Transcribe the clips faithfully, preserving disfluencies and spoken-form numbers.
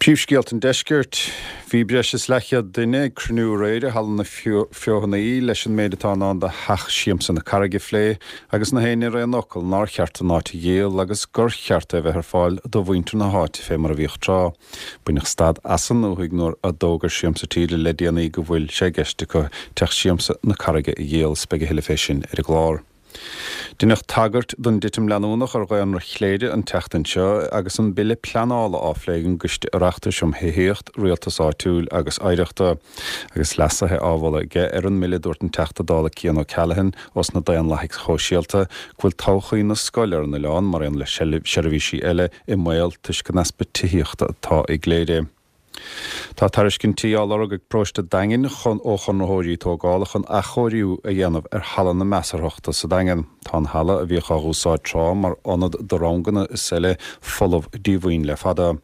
Príomhscéalta an Deiscirt. Bhí breis is leathchéad duine ag cruinniú aréir i Halla na Feothanaí leis an méid atá in ann do Theach Siamsa na Carraige a phlé agus na héinne ar aon fhocal nár cheart an áit a dhíol agus gur cheart é a bheith ar fáil do mhuintir na háite fé mar a bhíodh tráth. Baineadh stad as an ndúthaigh nuair a d'fhógair Siamsa Tíre le déanaí go bhfuil sé i gceist acu Teach Siamsa na Carraige a dhíol is beidh a thuilleadh fé sin ar an gclár. Deineadh tagairt don dtitim leanúnach ar dhaonra Chléire an tseachtain seo agus an bille pleanála á phlé ag an gCoiste Oireachtais um Thithíocht, Rialtas Áitiúil agus Oidhreachta. Agus leasuithe á mholadh aige ar an mbille dúirt an Teachta Dála Cian O'Callaghan ós na Daonlathaigh Shóisialta go bhfuil todhchaí na scoile ar an oileán mar aon le seirbhísí eile i mbaol toisc an easpa tithíochta atá i gCléire. Tá tairiscintí á lorg ag Paróiste Daingin chun ó chonraitheoirí tógála chun athchóiriú a dhéanamh ar Halla na Measarthachta sa Daingean. Tá an halla a bhíodh á úsáid tráth mar ionad do ranganna is eile folamh díomhaoin le fada.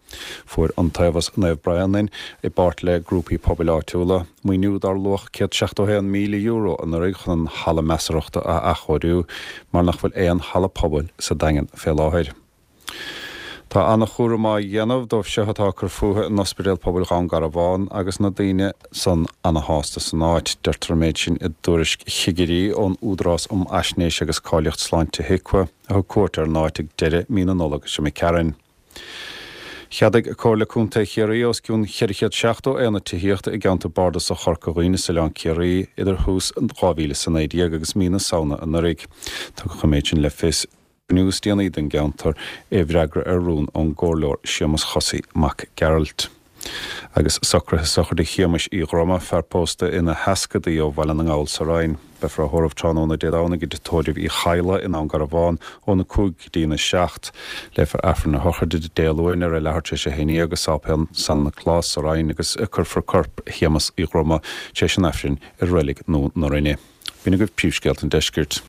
Fuair Iontaobhas Naomh Bréanainn i bpáirt le grúpaí pobail áitiúla maoiniú dar luach céad seachtó haon míle euro anuraidh chun an halla measarthachta a athchóiriú mar nach bhfuil aon halla pobail sa Daingean fé láthair. Tá an-chúram á dhéanamh dóibh seo atá ag cur fúthu in Ospidéal Pobail Dhún Garbhán agus na daoine san ana-shásta san áit. Deirtear an méid sin i dtuairisc chigirí ón Údarás um Fhaisnéis agus Cáilíocht Sláinte HIQA a thug cuairt ar an áit ag deireadh mí na Nollag seo imigh tharainn. Cheadaigh Comhairle Contae Chiarraí os cionn ceithre chéad seachtó aonad tithíochta i gceantar Bardasach Chorca Dhuibhne is Oileán Ciarraí idir thús dhá mhíle is a naoi déag agus mí na Samhna anuraidh. Tugadh an méid sin le fios inniu is déanaí don gceantar i bhfreagra ar rún ón gComhairleoir Séamus Chosaí Mac Gearailt. Agus socruithe sochraide Shéamais Uí Dhroma, fear pósta ina sheascadaí ó Bhaile na nGall sa Rinn. Beifear á thórramh tráthnóna Dé Domhnaigh i dTigh Tórraimh Uí Chadhla i nDún Garbhán óna cúig go dtína seacht. Léifear Aifreann a shochraide Dé Luain ar a leathuair tar éis a haon déag i Sáipéal San Nioclás sa Rinn agus cuirfear corp Shéamus Uí Dhroma tar éis an Aifrinn i Reilig Nua na Rinne. B'in agaibh príomhscéalta an Deiscirt.